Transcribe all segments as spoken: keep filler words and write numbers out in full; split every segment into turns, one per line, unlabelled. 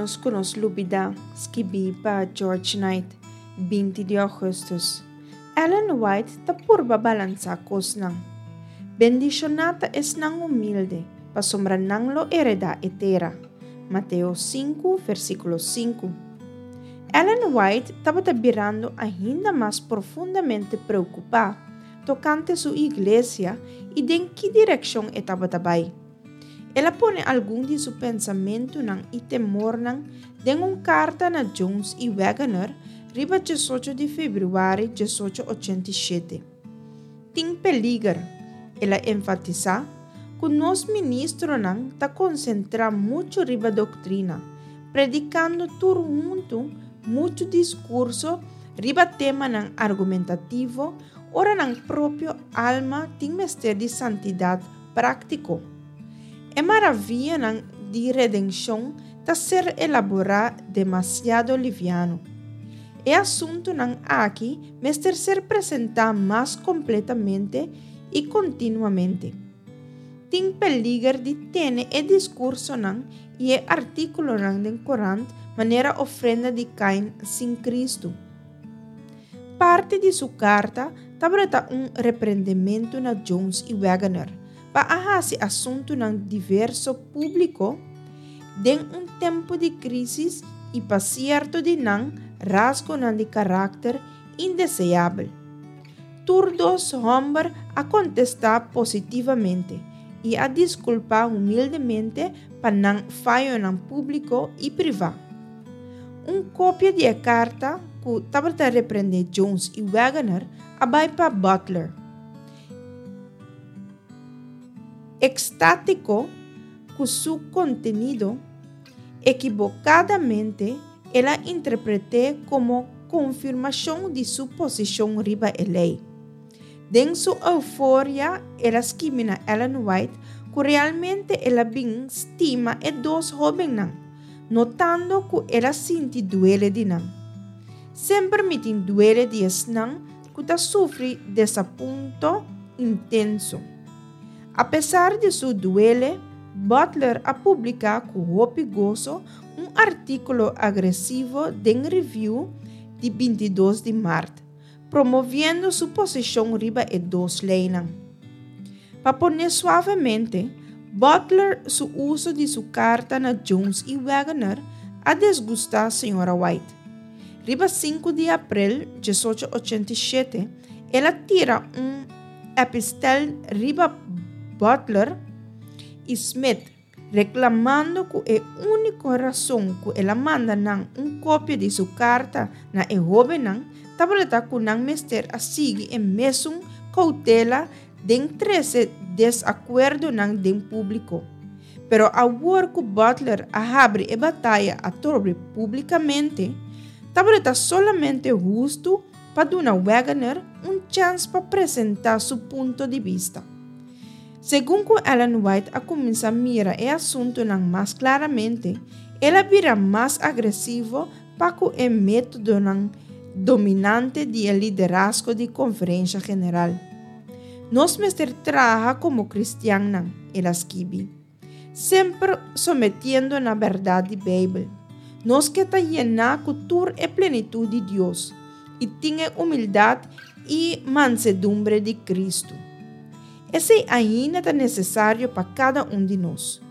ménos ku nos lubidá, skibí pa George Knight, binti di ougùstùs. Ellen White ta purba balansá kosnan. Bendishoná ta esnan humilde, pasobra nan lo heredá e tera. Mateo sinku, versíkulo sinku. Ellen White tabata birando ainda mas profundamente preokupá tokante su iglesia i den ki direkshon e tabata bai. El a pone algun di su pensamentunan i temornan den un karta na Jones i Waggoner riba diesocho di febrüari diesocho ochenta i shete. Tin peliger, el a enfatisá, ku nos ministronan ta konsentrá muchu riba doktrina, predikando tur huntu muchu diskurso riba temanan argumentativo ora nan propio alma tin mester di santidat práktiko. E maravianan di redenshon ta ser elaborá demasiado liviano. E asuntunan aki mester ser presentá mas kompletamente i kontinuamente. Tin peliger di tene e diskursonan i e artíkulonan den korant manera ofrenda di Kain sin Kristu. Parti di su karta tabata un reprendementu na Jones i Waggoner pa a hasi asuntunan diverso públiko den un tempu di krísis i pa sierto di nan rasgonan di karakter indeseabel. Tur dos hòmber a kontestá positivamente i a diskulpá humildemente pa nan fayonan públiko i privá. Un kopia di e karta ku tabata reprendé Jones i Waggoner a bai pa Butler. Ekstátiko ku su kontenido, ekibokadamente el a interpret'é komo konfirmashon di su posishon riba e lei. Den su euforia el a skibi na Ellen White ku realmente el a bin stima e dos hóbennan, notando ku el a sinti duele di nan. Semper mi tin duele di esnan ku ta sufri desapunto intenso. Apesar di su duele, Butler a publiká ku hopi goso un artíkulo agresivo den Review di binti i dos di mart, promoviendo su posishon riba e dos leinan. Pa pone suavemente, Butler su uso di su karta na Jones i Waggoner a desgustá señora White. Riba sinku di aprel diesocho ochenta i shete, el a tira un epistel riba Butler i Smith, reklamando ku e úniko rason ku el a manda nan un kopia di su karta na e hóbennan tabata ku nan mester a sigui e mesun koutela den trese desakuerdonan den públiko. Pero awor ku Butler a habri e bataya atrobe públikamente, tabata solamente hustu pa duna Waggoner un chèns pa presentá su punto di bista. Segun ku Ellen White a kuminsá mira e asuntunan mas klaramente, el a bira mas agresivo pa ku e métodonan dominante di e liderazgo di Konferensha General. Nos mester traha komo kristiannan, el a skibi, semper sometiendo na bèrdat di Beibel. Nos ke ta yená ku tur e plenitut di Dios i tin e humildat i mansedumbre di Kristu. Esei ainda ta nesesario pa kada un di nos.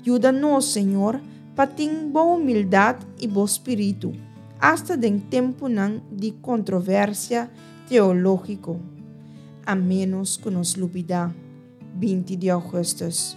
Yuda nos, Señor, pa tin bo humildat i bo spiritu, asta den tempunan di kontroversia teológiko. A ménos ku nos lubidá, binti di ougùstùs.